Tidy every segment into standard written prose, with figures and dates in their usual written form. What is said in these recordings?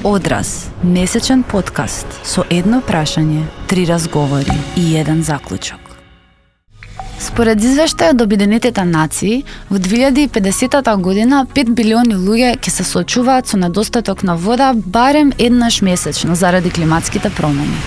Одраз, месечен подкаст со едно прашање, 3 разговори и еден заклучок. Според извештајот од Обединетите нации, во 2050 година 5 билиони луѓе ќе се соочуваат со недостаток на вода барем еднаш месечно заради климатските промени.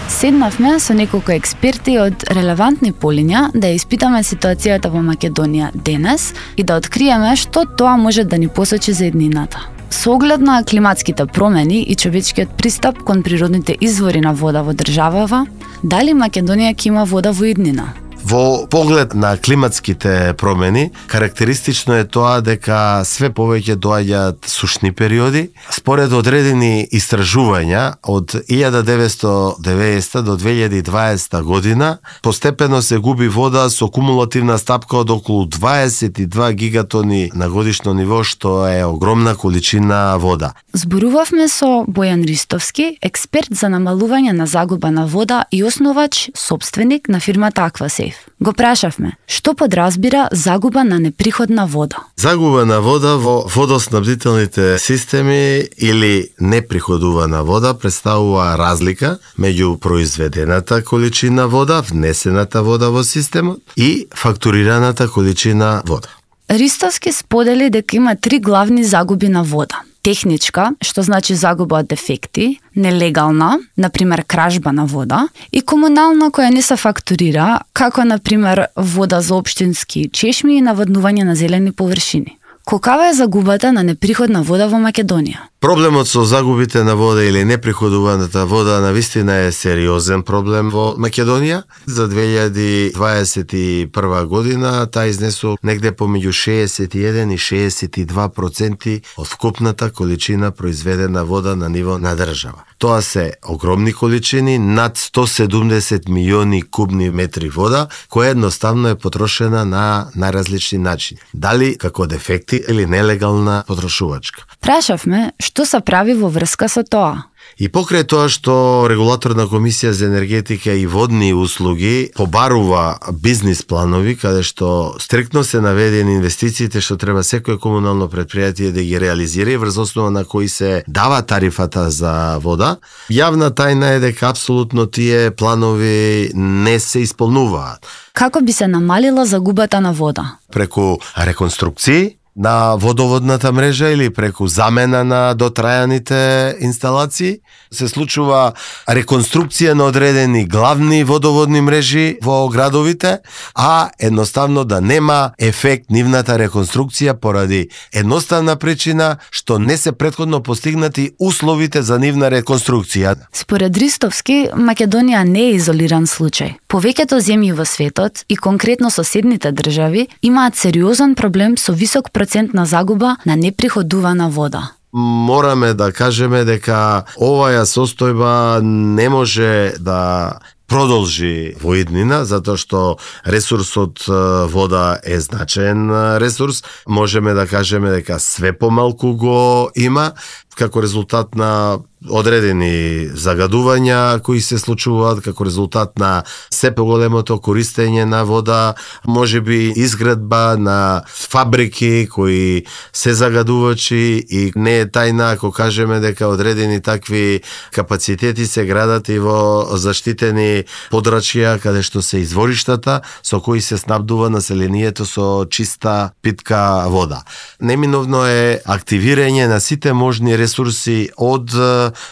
Седнавме со неколку експерти од релевантни полиња да ја испитаме ситуацијата во Македонија денес и да откриеме што тоа може да ни посочи за иднината. Со оглед на климатските промени и човечкиот пристап кон природните извори на вода во државава, дали Македонија ќе има вода во иднина? Во поглед на климатските промени, карактеристично е тоа дека све повеќе доаѓаат сушни периоди. Според одредени истражувања, од 1990 до 2020 година, постепено се губи вода со кумулативна стапка од околу 22 гигатони на годишно ниво, што е огромна количина вода. Зборувавме со Бојан Ристовски, експерт за намалување на загуба на вода и основач, сопственик на фирмата Аквасейф. Го прашавме, што подразбира загуба на неприходна вода? Загуба на вода во водоснабдителните системи или неприходувана вода представува разлика меѓу произведената количина вода, внесената вода во системот и фактурираната количина вода. Ристовски сподели дека има 3 главни загуби на вода. Техничка, што значи загуба од дефекти, нелегална, например кражба на вода, и комунална која не се фактурира, како например вода за општински чешми и наводнување на зелени површини. Колкава е загубата на неприходна вода во Македонија? Проблемот со загубите на вода или неприходуваната вода навистина е сериозен проблем во Македонија. За 2021 година таа изнесува негде помеѓу 61 и 62% од вкупната количина произведена вода на ниво на држава. Тоа се огромни количини, над 170 милиони кубни метри вода, која едноставно е потрошена на најразлични начини. Дали како дефекти или нелегална потрошувачка. Прашавме што се прави во врска со тоа. И покрај тоа што Регулаторна комисија за енергетика и водни услуги побарува бизнис планови, каде што стриктно се наведени инвестициите што треба секое комунално предпријатие да ги реализира и врз основа на кои се дава тарифата за вода, јавна тајна е дека апсолутно тие планови не се исполнуваат. Како би се намалила загубата на вода? Преку реконструкции на водоводната мрежа или преку замена на дотрајаните инсталации, се случува реконструкција на одредени главни водоводни мрежи во градовите, а едноставно да нема ефект нивната реконструкција поради едноставна причина што не се претходно постигнати условите за нивна реконструкција. Според Ристовски, Македонија не е изолиран случај. Повеќето земји во светот и конкретно соседните држави имаат сериозен проблем со висок процент на загуба на неприходувана вода. Мораме да кажеме дека оваа состојба не може да продолжи во иднина, затоа што ресурсот вода е значаен ресурс. Можеме да кажеме дека све помалку го има, како резултат на одредени загадувања кои се случуваат, како резултат на се поголемото користење на вода, можеби изградба на фабрики кои се загадувачи и не е тајна ако кажеме дека одредени такви капацитети се градат и во заштитени подрачја каде што се извориштата со кои се снабдува населението со чиста питка вода. Неминовно е активирање на сите можни ресурси од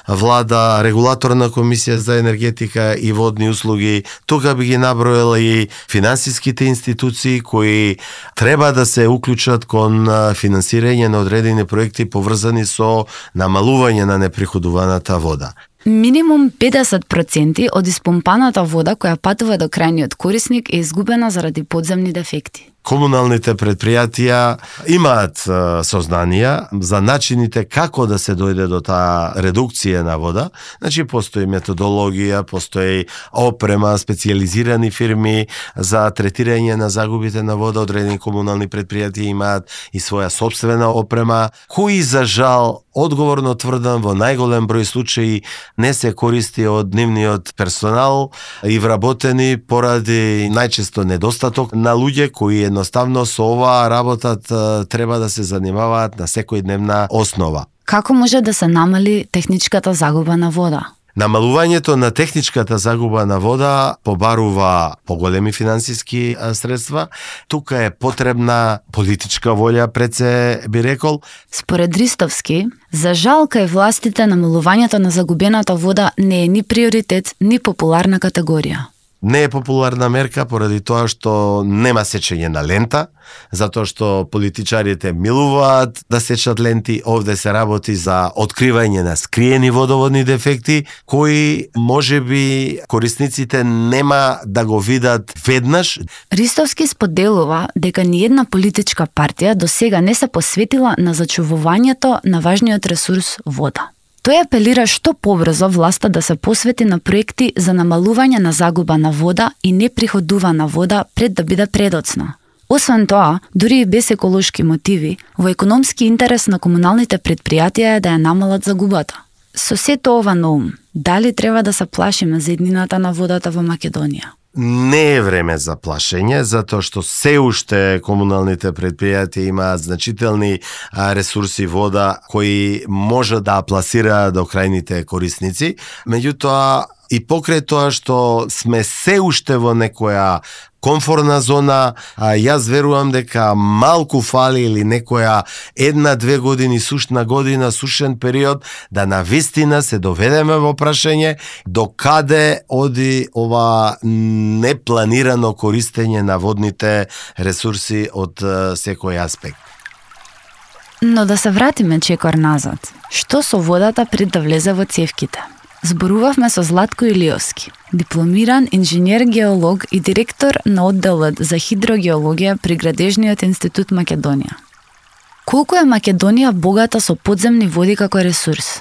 влада, Регулаторна комисија за енергетика и водни услуги, тука би ги наброила и финансиските институции кои треба да се уклучат кон финансирање на одредени проекти поврзани со намалување на неприходуваната вода. Минимум 50% од испомпаната вода која патува до крајниот корисник е изгубена заради подземни дефекти. Комуналните предпријатија имаат сознанија за начините како да се дојде до таа редукција на вода. Значи, постои методологија, постои опрема, специјализирани фирми за третирање на загубите на вода. Одредени комунални предпријатија имаат и своја сопствена опрема, кои за жал, одговорно тврдам, во најголем број случаи не се користи од нивниот персонал и вработени поради најчесто недостаток на луѓе кои едноставно со оваа работа треба да се занимаваат на секојдневна основа. Како може да се намали техничката загуба на вода? Намалувањето на техничката загуба на вода побарува поголеми финансиски средства. Тука е потребна политичка волја, пред се би рекол. Според Ристовски, за жал кај властите намалувањето на загубената вода не е ни приоритет, ни популарна категорија. Не е популарна мерка поради тоа што нема сечење на лента, затоа што политичарите милуваат да сечат ленти. Овде се работи за откривање на скриени водоводни дефекти, кои можеби корисниците нема да го видат веднаш. Ристовски споделува дека ниедна политичка партија до сега не се посветила на зачувувањето на важниот ресурс вода. Тој апелира што побрзо власта да се посвети на проекти за намалување на загуба на вода и неприходувана вода пред да биде предоцна. Освен тоа, дури и без еколошки мотиви, во економски интерес на комуналните предпријатија е да ја намалат загубата. Со сето ова на ум, дали треба да се плашиме за иднината на водата во Македонија? Не е време за плашење, затоа што се уште комуналните предпријатија имаат значителни ресурси вода кои може да пласираат до крајните корисници. Меѓутоа, и покрај тоа што сме се уште во некоја комфортна зона, јас верувам дека малку фали или некоја 1-2 години сушна година, сушен период, да навистина се доведеме во прашање до каде оди ова непланирано користење на водните ресурси од секој аспект. Но да се вратиме чекор назад. Што со водата пред да влезе во цевките? Зборувавме со Златко Илиовски, дипломиран инженер-геолог и директор на одделот за хидрогеологија при Градежниот институт Македонија. Колку е Македонија богата со подземни води како ресурс?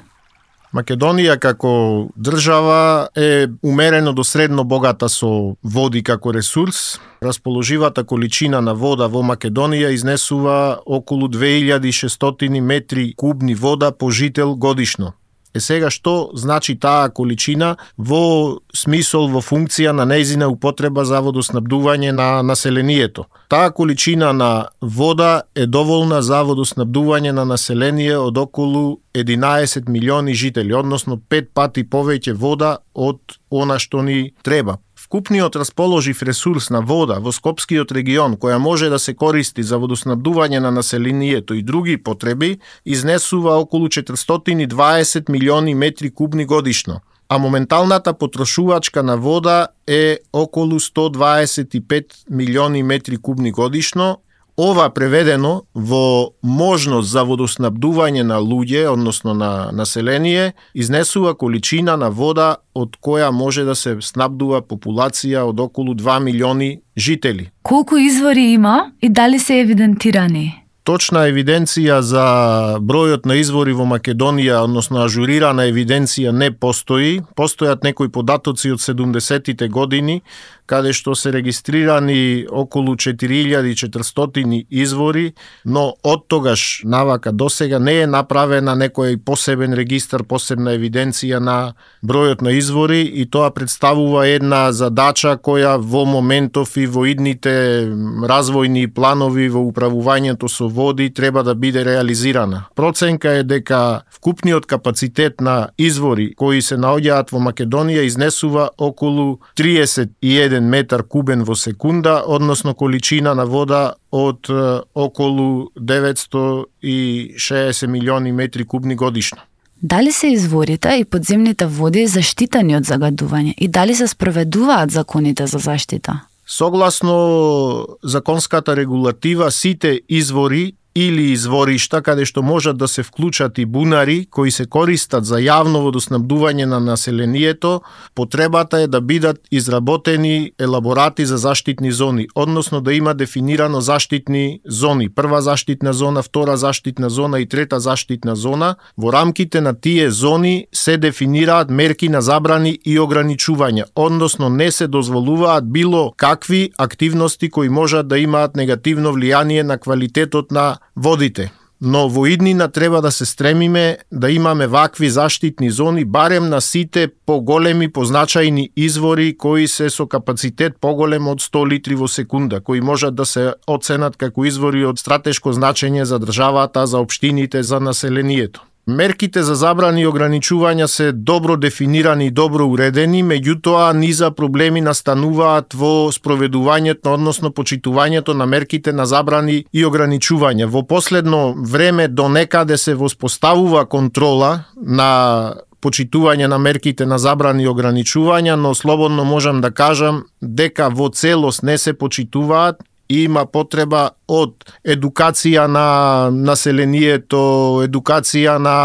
Македонија како држава е умерено до средно богата со води како ресурс. Расположивата количина на вода во Македонија изнесува околу 2600 метри кубни вода по жител годишно. Сега што значи таа количина во смисол, во функција на нејзина употреба за водоснабдување на населението? Таа количина на вода е доволна за водоснабдување на население од околу 11 милиони жители, односно 5 пати повеќе вода од она што ни треба. Вкупниот расположив ресурс на вода во Скопскиот регион, која може да се користи за водоснабдување на населението и други потреби, изнесува околу 420 милиони метри кубни годишно, а моменталната потрошувачка на вода е околу 125 милиони метри кубни годишно. Ова преведено во можност за водоснабдување на луѓе, односно на население, изнесува количина на вода од која може да се снабдува популација од околу 2 милиони жители. Колку извори има и дали се евидентирани? Точна евиденција за бројот на извори во Македонија, односно ажурирана евиденција не постои. Постојат некои податоци од 70-тите години, каде што се регистрирани околу 4400 извори, но од тогаш навака досега не е направена некој посебен регистар, посебна евиденција на бројот на извори, и тоа представува една задача која во моментов и во идните развојни планови во управувањето со води треба да биде реализирана. Проценка е дека вкупниот капацитет на извори кои се наоѓаат во Македонија изнесува околу 31 метар кубен во секунда, односно количина на вода од околу 960 милиони метри кубни годишно. Дали се изворите и подземните води заштитени од загадување и дали се спроведуваат законите за заштита? Согласно законската регулатива, сите извори или изворишта каде што можат да се вклучат и бунари кои се користат за јавно водоснабдување на населението, потребата е да бидат изработени елаборати за заштитни зони, односно да има дефинирано заштитни зони. Прва заштитна зона, втора заштитна зона и трета заштитна зона. Во рамките на тие зони се дефинираат мерки на забрани и ограничувања, односно не се дозволуваат било какви активности кои можат да имаат негативно влијание на квалитетот на водите. Но во иднина треба да се стремиме да имаме вакви заштитни зони барем на сите поголеми, позначајни извори кои се со капацитет поголем од 100 литри во секунда, кои можат да се оценат како извори од стратешко значење за државата, за општините, за населението. Мерките за забрани и ограничувања се добро дефинирани и добро уредени, меѓутоа низа проблеми настануваат во спроведувањето, односно почитувањето на мерките на забрани и ограничувања. Во последно време до некаде се воспоставува контрола на почитување на мерките на забрани и ограничувања, но слободно можам да кажам дека во целост не се почитуваат. Има потреба од едукација на населението, едукација на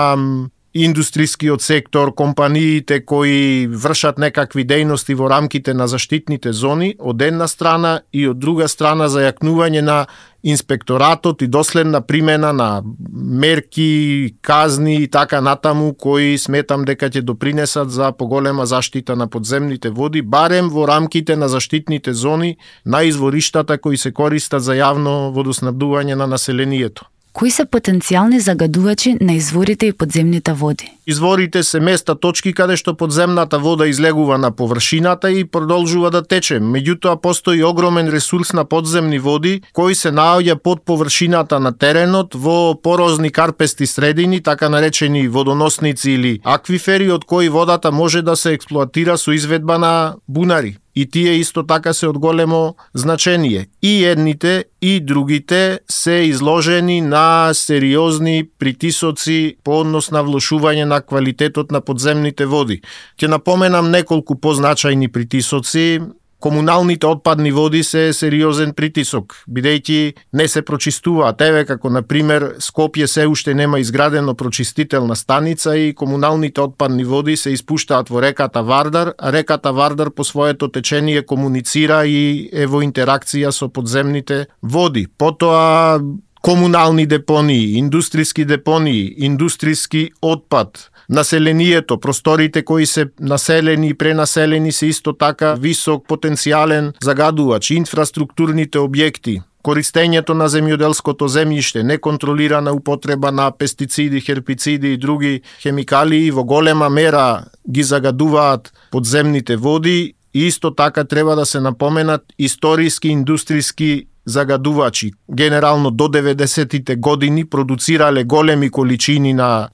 индустријскиот сектор, компаниите кои вршат некакви дејности во рамките на заштитните зони, од една страна, и од друга страна зајакнување на инспекторатот и доследна примена на мерки, казни и така натаму, кои сметам дека ќе допринесат за поголема заштита на подземните води, барем во рамките на заштитните зони на извориштата кои се користат за јавно водоснабдување на населението. Кои се потенцијални загадувачи на изворите и подземните води? Изворите се места, точки каде што подземната вода излегува на површината и продолжува да тече. Меѓутоа постои огромен ресурс на подземни води кои се наоѓа под површината на теренот во порозни карпести средини, така наречени водоносници или аквифери, од кои водата може да се експлоатира со изведба на бунари. И тие исто така се од големо значение. И едните и другите се изложени на сериозни притисоци по однос на влошување на квалитетот на подземните води. Ќе напоменам неколку позначајни притисоци. Комуналните отпадни води се сериозен притисок, бидејќи не се прочистуваат. Еве како на пример Скопје се уште нема изградено прочистителна станица и комуналните отпадни води се испуштаат во реката Вардар, а реката Вардар по своето течение комуницира и е во интеракција со подземните води. Потоа комунални депонии, индустријски депонии, индустријски отпад, населението, просторите кои се населени и пренаселени се исто така висок потенцијален загадувач, инфраструктурните објекти, користењето на земјоделското земјиште, неконтролирана употреба на пестициди, хербициди и други хемикалии во голема мера ги загадуваат подземните води и исто така треба да се напоменат историски индустријски загадувачи. Генерално до 90-тите години продуцирале големи количини на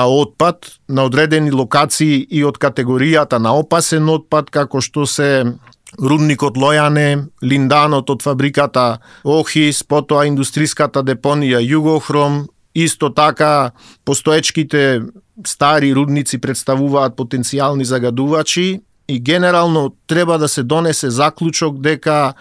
отпад на одредени локации и од категоријата на опасен отпад, како што се рудникот Лојане, линданот од фабриката Охис, потоа индустријската депонија Југохром, исто така постоечките стари рудници представуваат потенцијални загадувачи и генерално треба да се донесе заклучок дека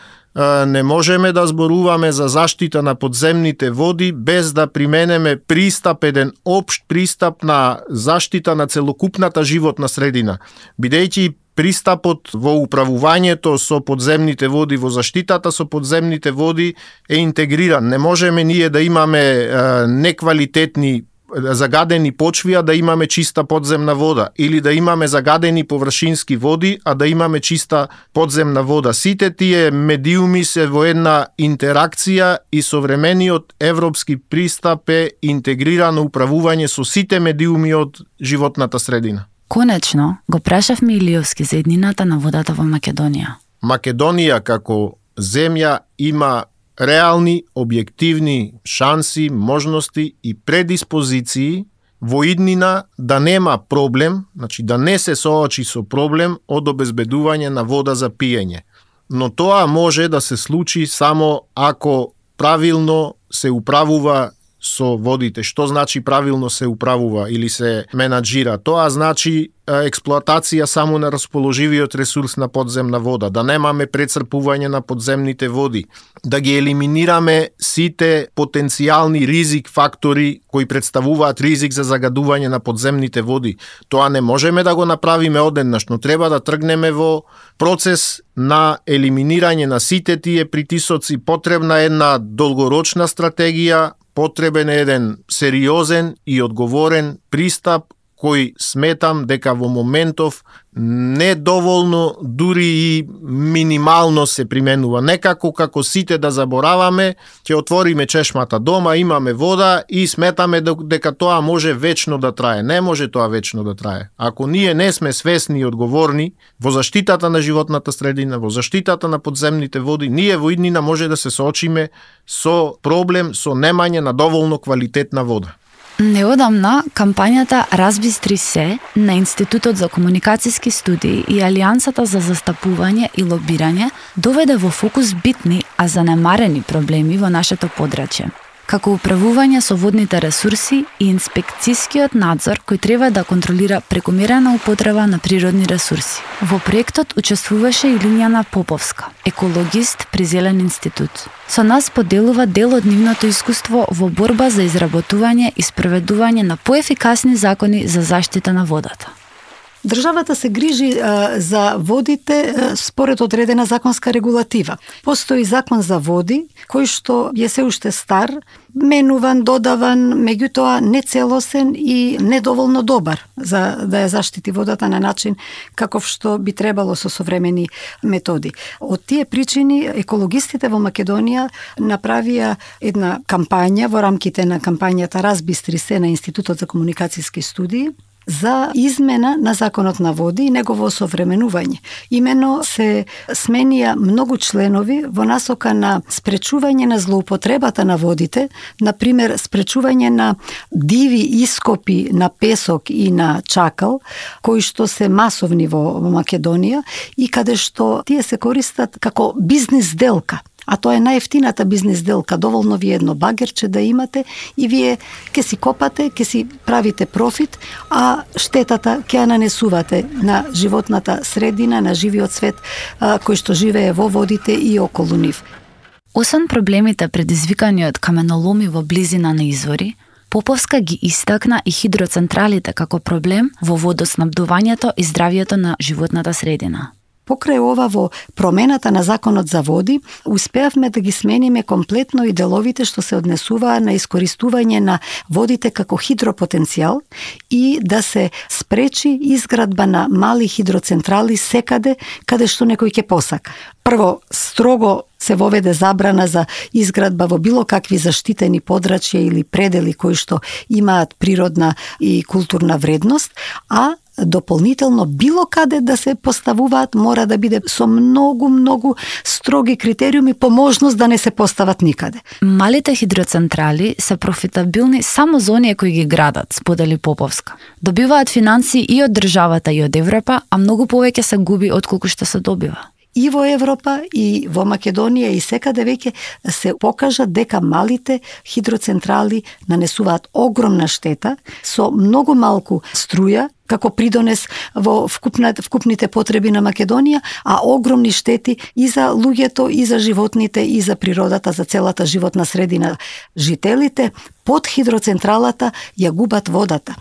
не можеме да зборуваме за заштита на подземните води без да применеме пристап, еден општ пристап на заштита на целокупната животна средина. Бидејќи пристапот во управувањето со подземните води, во заштитата со подземните води е интегриран. Не можеме ние да имаме неквалитетни загадени почви, а да имаме чиста подземна вода, или да имаме загадени површински води, а да имаме чиста подземна вода. Сите тие медиуми се во една интеракција и современиот европски пристап е интегрирано управување со сите медиуми од животната средина. Конечно, го прашавме Илиовски за еднината на водата во Македонија. Македонија како земја има реални, објективни шанси, можности и предиспозиции во иднина да нема проблем, значи да не се соочи со проблем од обезбедување на вода за пиење. Но тоа може да се случи само ако правилно се управува со водите. Што значи правилно се управува или се менаџира? Тоа значи експлоатација само на расположивиот ресурс на подземна вода, да немаме прецрпување на подземните води, да ги елиминираме сите потенцијални ризик фактори кои представуваат ризик за загадување на подземните води. Тоа не можеме да го направиме одеднаш, но треба да тргнеме во процес на елиминирање на сите тие притисоци. Потребна е една долгорочна стратегија, потребен е еден сериозен и одговорен пристап кој сметам дека во моментов недоволно, дури и минимално се применува. Некако како сите да забораваме, ќе отвориме чешмата дома, имаме вода и сметаме дека тоа може вечно да трае. Не може тоа вечно да трае. Ако ние не сме свесни и одговорни во заштитата на животната средина, во заштитата на подземните води, ние во иднина може да се соочиме со проблем со немање на доволно квалитетна вода. Неодамна, кампањата Разбистри се на Институтот за комуникацијски студии и Алијансата за застапување и лобирање доведе во фокус битни, а занемарени проблеми во нашето подрачје, како управување со водните ресурси и инспекцијскиот надзор кој треба да контролира прекомерна употреба на природни ресурси. Во проектот учествуваше и Лиљана Поповска, екологист при Зелен институт. Со нас поделува дел од нивното искуство во борба за изработување и спроведување на поефикасни закони за заштита на водата. Државата се грижи за водите според одредена законска регулатива. Постои закон за води, кој што е се уште стар, менуван, додаван, меѓутоа нецелосен и недоволно добар за да ја заштити водата на начин каков што би требало со современи методи. Од тие причини екологистите во Македонија направија една кампања во рамките на кампањата Разбистри се на Институтот за комуникацијски студии за измена на законот на води и негово осовременување. Имено се сменија многу членови во насока на спречување на злоупотребата на водите, например спречување на диви ископи на песок и на чакал, кои што се масовни во Македонија и каде што тие се користат како бизнис делка. А тоа е најефтината бизнис делка. Доволно ви едно багерче да имате и вие ќе си копате, ќе си правите профит, а штетата ќе ја нанесувате на животната средина, на живиот свет кој што живее во водите и околу нив. Освен проблемите предизвикани од каменоломи во близина на извори, Поповска ги истакна и хидроцентралите како проблем во водоснабдувањето и здравјето на животната средина. Покрај ова во промената на законот за води, успеавме да ги смениме комплетно и деловите што се однесуваа на искористување на водите како хидропотенцијал и да се спречи изградба на мали хидроцентрали секаде каде што некој ќе посака. Прво, строго се воведе забрана за изградба во било какви заштитени подрачја или предели кои што имаат природна и културна вредност, а дополнително било каде да се поставуваат мора да биде со многу строги критериуми, по можност да не се постават никаде. Малите хидроцентрали се профитабилни само за оние кои ги градат, сподели Поповска. Добиваат финансии и од државата и од Европа, а многу повеќе се губи отколку што се добива. И во Европа, и во Македонија, и секаде веќе се покажа дека малите хидроцентрали нанесуваат огромна штета со многу малку струја, како придонес во вкупните потреби на Македонија, а огромни штети и за луѓето, и за животните, и за природата, за целата животна средина. Жителите под хидроцентралата ја губат водата.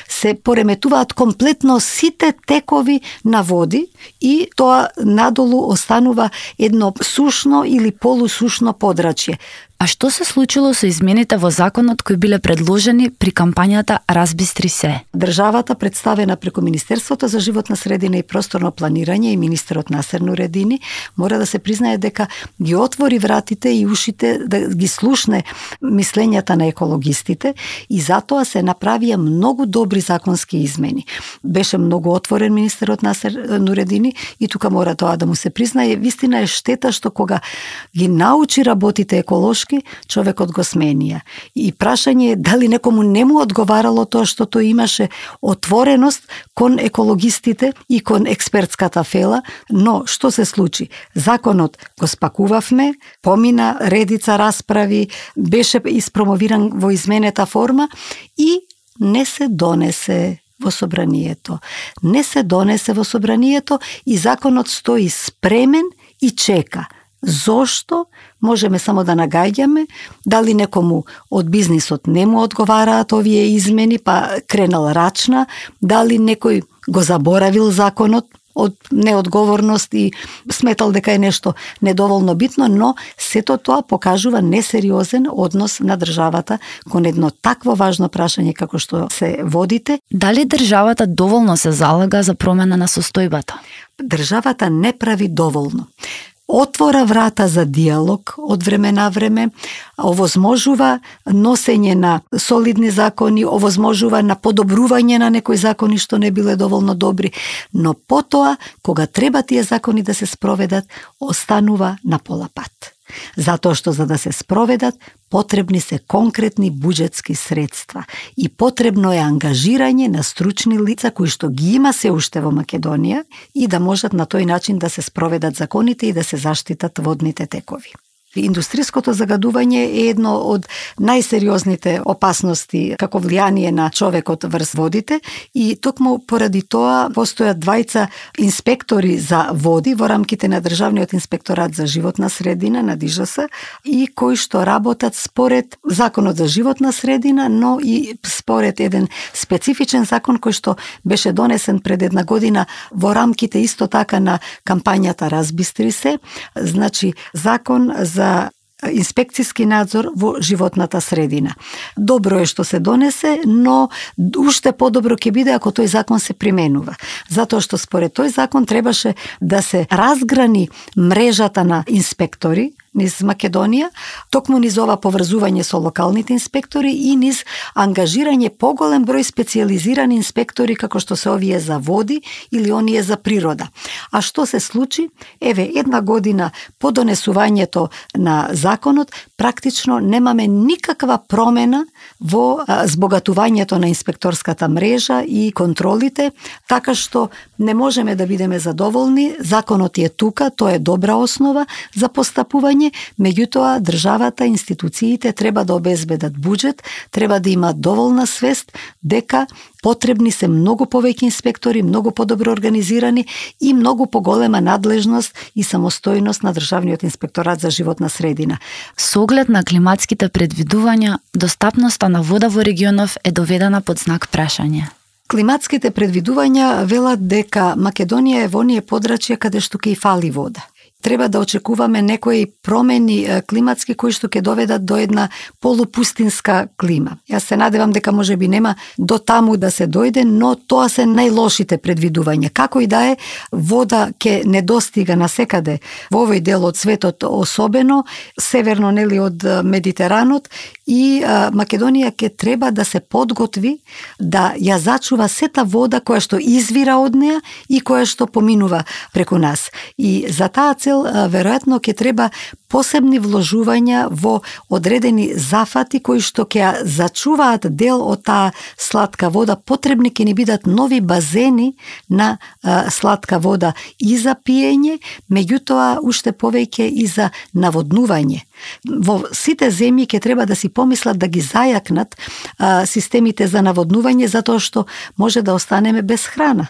Се пореметуваат комплетно сите текови на води и тоа надолу останува едно сушно или полусушно подрачје. А што се случило со измените во законот кои биле предложени при кампањата Разбистри се? Државата, представена преку Министерството за животна средина и просторно планирање и министерот Насер Нуредини, мора да се признае дека ги отвори вратите и ушите да ги слушне мислењата на екологистите и затоа се направија многу добри законски измени. Беше многу отворен министерот Насер Нуредини и тука мора тоа да му се признае. Вистина е штета што кога ги научи работите еколошки, човекот го сменија. И прашање е дали некому не му одговарало тоа што тој имаше отвореност кон екологистите и кон експертската фела, но што се случи? Законот го спакувавме, помина редица расправи, беше испромовиран во изменета форма и не се донесе во собранието. Не се донесе во собранието и законот стои спремен и чека. Зошто? Можеме само да нагаѓаме, дали некому од бизнисот не му одговараат овие измени, па кренал рачна, дали некој го заборавил законот од неодговорност и сметал дека е нешто недоволно битно, но сето тоа покажува несериозен однос на државата кон едно такво важно прашање како што се водите. Дали државата доволно се залага за промена на состојбата? Државата не прави доволно. Отвора врата за диалог од време на време, овозможува носење на солидни закони, овозможува на подобрување на некои закони што не биле доволно добри, но потоа, кога треба тие закони да се спроведат, останува на пола пат. Затоа што за да се спроведат, потребни се конкретни буџетски средства и потребно е ангажирање на стручни лица кои што ги има се уште во Македонија и да можат на тој начин да се спроведат законите и да се заштитат водните текови. Индустријското загадување е едно од најсериозните опасности како влијание на човекот врз водите и токму поради тоа постојат двајца инспектори за води во рамките на Државниот инспекторат за животна средина на ДИЖС и кои што работат според Законот за животна средина, но и според еден специфичен закон кој што беше донесен пред една година во рамките исто така на кампањата Разбистри се, значи закон за инспекцијски надзор во животната средина. Добро е што се донесе, но уште подобро ќе биде ако тој закон се применува. Затоа што според тој закон требаше да се разграни мрежата на инспектори низ Македонија, токму низ ова поврзување со локалните инспектори и низ ангажирање поголем број специјализирани инспектори како што се овие за води или оние за природа. А што се случи? Еве, една година по донесувањето на законот, практично немаме никаква промена во збогатувањето на инспекторската мрежа и контролите, така што не можеме да бидеме задоволни. Законот е тука, тоа е добра основа за постапување, меѓутоа државата, институциите треба да обезбедат буџет, треба да имаат доволна свест дека потребни се многу повеќе инспектори, многу подобро организирани и многу поголема надлежност и самостојност на Државниот инспекторат за животна средина. Со оглед на климатските предвидувања, достапноста на вода во регионов е доведена под знак прашање. Климатските предвидувања велат дека Македонија е во оние подрачја каде што ќе и фали вода. Треба да очекуваме некои промени климатски кои што ќе доведат до една полупустинска клима. Јас се надевам дека можеби нема до таму да се дојде, но тоа се најлошите предвидувања. Како и да е, вода ќе недостига насекаде во овој дел од светот, особено северно нели од Медитеранот, и Македонија ќе треба да се подготви да ја зачува сета вода која што извира од неа и која што поминува преку нас. И за таа цел веројатно ќе треба посебни вложувања во одредени зафати кои што ќе зачуваат дел од таа сладка вода. Потребни ќе ни бидат нови базени на сладка вода и за пиење, меѓутоа уште повеќе и за наводнување. Во сите земји ќе треба да си помислат да ги зајакнат системите за наводнување, затоа што може да останеме без храна.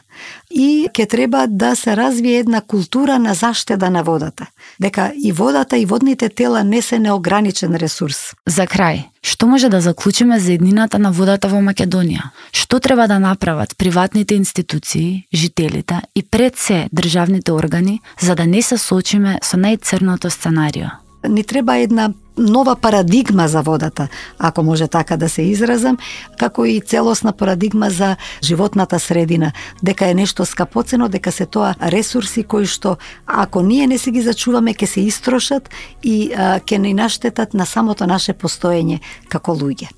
И ќе треба да се развие една култура на заштеда на водата. Дека и водата и водните тела не се неограничен ресурс. За крај, што може да заклучиме за еднината на водата во Македонија? Што треба да направат приватните институции, жителите и пред се државните органи за да не се соочиме со најцрното сценарио? Ни треба една нова парадигма за водата, ако може така да се изразам, како и целосна парадигма за животната средина, дека е нешто скапоцено, дека се тоа ресурси кои што ако ние не се ги зачуваме, ќе се истрошат и ќе ни наштетат на самото наше постоење како луѓе.